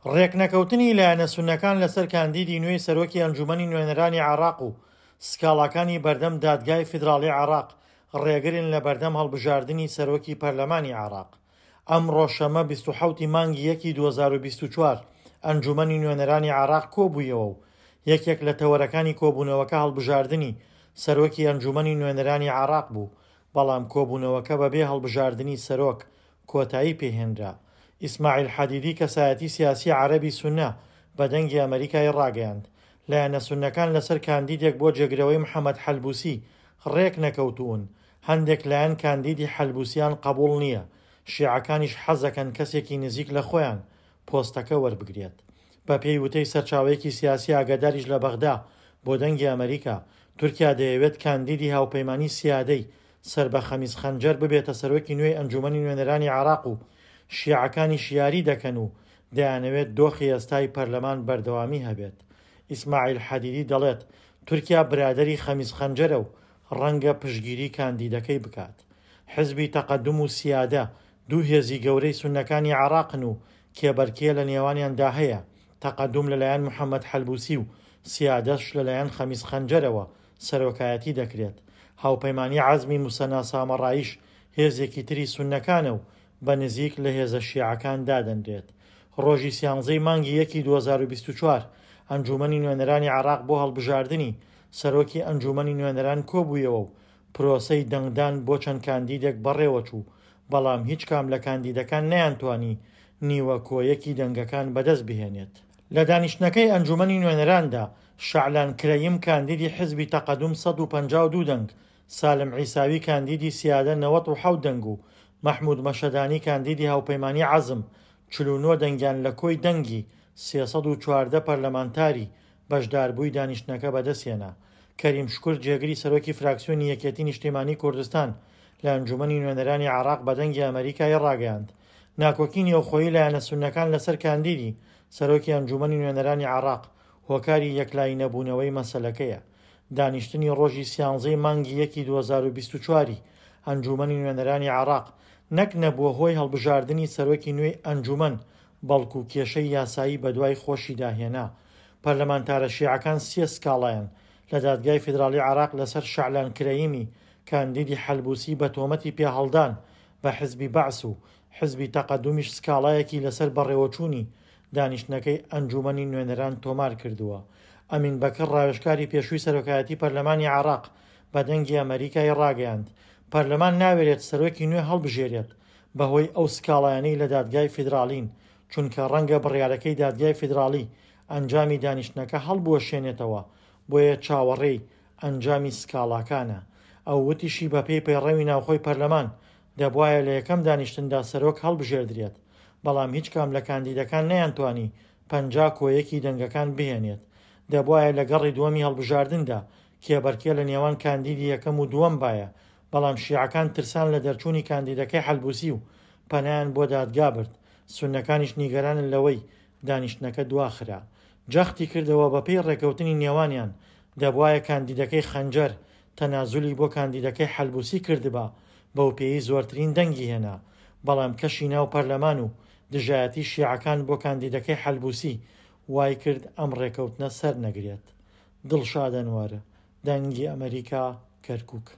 ڕێکنەکەوتنی لایەنە سوننەکان لەسەر کاندیدی نوێی سەرۆکی ئەنجومەنی نوێنەرانی عێراق و سکاڵاکانی بەردەم دادگای فیدراڵی عێراق ڕێگرن لە بەردەم هەڵبژاردنی سەرۆکی پەرلەمانی عێراق. ئەمڕۆ شەممە 27 ی مانگی یەکی 2024 ئەنجومەنی نوێنەرانی عێراق کۆبوویەوە و یەکێک لە تەوەرەکانی کۆبوونەوەکە هەڵبژاردنی سەرۆکی ئەنجومەنی نوێنەرانی عێراق بوو، بەڵام کۆبوونەوەکە بەبێ هەڵبژاردنی سەرۆک کۆتایی پێهێنرا. ئیسماعیل حەدیدی کەسایەتی سیاسی عەرەبی سوننە بە دەنگی ئەمەریکای ڕاگەیاند، لایەنە سوننەکان لەسەر کاندیدێک بۆ جێگرەوەی محەمەد حەلبوسی ڕێکنەکەوتوون، هەندێک لایەن کاندیدی حەلبوسیان قبوڵ نییە، شیعەکانیش حەزەکەن کەسێکی نزیک لە خۆیان پۆستەکە وەربگرێت. بەپێی وتەی سەرچاوەیەکی سیاسی ئاگاداریش لە بەغدا بۆ دەنگی ئەمەریکا، تورکیا دەیەوێت کاندیدی هاوپەیمانی سیادەی سەر بە خەمیس خەنجەر ببێتە سەرۆکی نوێی ئەنجومەنی نوێنەرانی عێراق و شیعەکانیش یاری دەکەن و دەیانەوێت دۆخی ئێستای پەرلەمان بەردەوامی هەبێت. ئیسماعیل حەدیدی دەڵێت، تورکیا برادەری خەمیس خەنجەرە و ڕەنگە پشتگیری کاندیدەکەی بکات. حزبی تەقەدوم و سیادە دوو هێزی گەورەی سوننەکانی عێراقن و کێبەرکێ لە نێوانیاندا هەیە، تەقەدوم لەلایەن محەمەد حەلبوسی و سیادەش لەلایەن خەمیس خەنجەرەوە سەرۆکایەتی دەکرێت. هاوپەیمانی عەزمی موسەنا سامەڕاییش هێزێکی تری سوننەکانە و بە نزیک لە هێزە شیعەکان دادەنرێت. ڕۆژی سیانزەی مانگی یەکی 2024 ئەنجوومەنی نوێنەرانی عێراق بۆ هەڵبژاردنی سەرۆکی ئەنجوومەنی نوێنەران کۆبوویەوە و پرۆسەی دەنگدان بۆ چەند کاندیدێک بەڕێوەچوو، بەڵام هیچ کام لە کاندیدەکان نەیانتوانی نیوە کۆیەکی دەنگەکان بەدەست بهێنێت. لە دانیشتنەکەی ئەنجوومەنی نوێنەراندا شەعلان کرەیم کاندیدی حزبی تەقەدوم 152 دەنگ، سالم عیساوی کاندیدی سیادە 97 دەنگ و مەحمود مەشهەدانی کاندیدی هاوپەیمانی عەزم 49 دەنگیان لە کۆی دەنگی 314 پەرلەمانتاری بەشداربووی دانیشتنەکە بەدەستهێنا. کەریم شوکر جێگری سەرۆکی فراکسیۆنی یەکێتی نیشتیمانی کوردستان لە ئەنجومەنی نوێنەرانی عێراق بە دەنگی ئەمەریکای ڕاگەیاند ناکۆکی نێوخۆیی لایەنە سوننەکان لەسەر کاندیدی سەرۆکی ئەنجومەنی نوێنەرانی عێراق هۆکاری یەکلایی نەبوونەوەی مەسەلەکەیە. دانیشتنی ڕۆژی سیانزەی مانگی یەکی 2024 ی ئەنجومەنی نوێنەرانی عێراق نەک نەبووە هۆی هەڵبژاردنی سەرۆکی نوێی ئەنجومەن بەڵکو کێشەی یاسایی بەدوای خۆشیدا هێنا. پەرلەمانتارە شیعەکان سێ سکاڵایان لە دادگای فیدراڵی عێراق لەسەر شەعلان کرەیمی کاندیدی حەلبوسی بە تۆمەتی پێهەڵدان بە حزبی بەعس و حزبی تەقەدومیش سکاڵایەکی لەسەر بەڕێوەچوونی دانیشتنەکەی ئەنجوومەنی نوێنەران تۆمار کردووە. ئەمین بەکر ڕاوێژکاری پێشووی سەرۆکایەتی پەرلەمانی عێراق بە دەنگی ئەمەریکای ڕاگەیاند، پەرلەمان ناوێرێت سەرۆکی نوێ هەڵبژێرێت بەهۆی ئەو سکاڵایانەی لە دادگای فیدراڵین، چونکە ڕەنگە بڕیارەکەی دادگای فیدراڵی ئەنجامی دانیشتنەکە هەڵبوەشێنێتەوە، بۆیە چاوەڕێی ئەنجامی سکاڵاکانە. ئەو وتیشی بەپێی پەیڕەوی ناوخۆی پەرلەمان، دەبوایە لە یەکەم دانیشتندا سەرۆک هەڵبژێردرێت، بەڵام هیچ کام لە کاندیدەکان نەیانتوانی 50 کۆ یەکی دەنگەکان بهێنێت. دەبوایە لە گەڕی دووەمی هەڵبژاردندا کێبەرکێ لە نێوان کاندیدی یەکەم و دووەم بایە، بەڵام شیعەکان ترسان لە دەرچوونی کاندیدەکەی حەلبوسی و پەنایان بۆ دادگا برد، سوننەکانیش نیگەرانن لەوەی دانیشتنەکە دواخرا. جەختی کردەوە بەپێی ڕێکەوتنی نێوانیان دەبوایە کاندیدەکەی خەنجەر تەنازولی بۆ کاندیدەکەی حەلبوسی کردبا بەوپێیەی زۆرترین دەنگی هێنا، بەڵام کەشی ناو پەرلەمان و دژایەتی شیعەکان بۆ کاندیدەکەی حەلبوسی وایکرد ئەم ڕێکەوتنە سەرنەگرێت. دڵشاد ئەنوەر، دەنگی ئەمەریکا، کەرکوک.